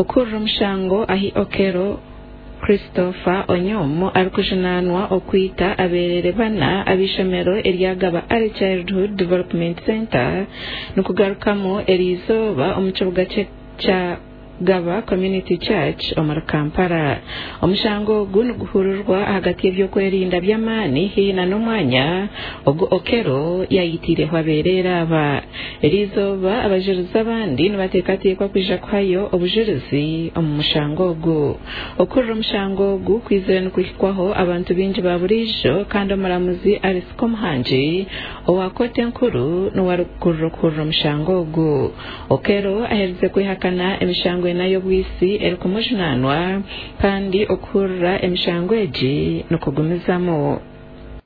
Okuhurira omushango ahi Okello Christopher Onyum arikujunaanwa okwita abeereere bana ab'eishomero erya Gaba Early Childhood Development Centre nikugarukamu eriizooba omu kibuga kya Gaba Community Church omuri Kampala. Omushango ogu niguhurirwa ahagati y'eby'okwerinda by'amaani haihi na n'omwanya ogu Okello yayitiireho abeereere aba. Eriizooba abajurizi abandi nibateekateekwa kwija kuhayo obujurizi omu mushango ogu. Okuhurira omushango ogu kwizire nikuhikwaho abantu baingi ba buriijo kandi omuramuzi Alice Komuhangi owa kooti enkuru niwe arikukurira okuhurira omushango ogu. Okello aherize kwehakana emishango ena y'obwitsi erikumujunaanwa kandi okuhurira emishango egi nikugumizamu.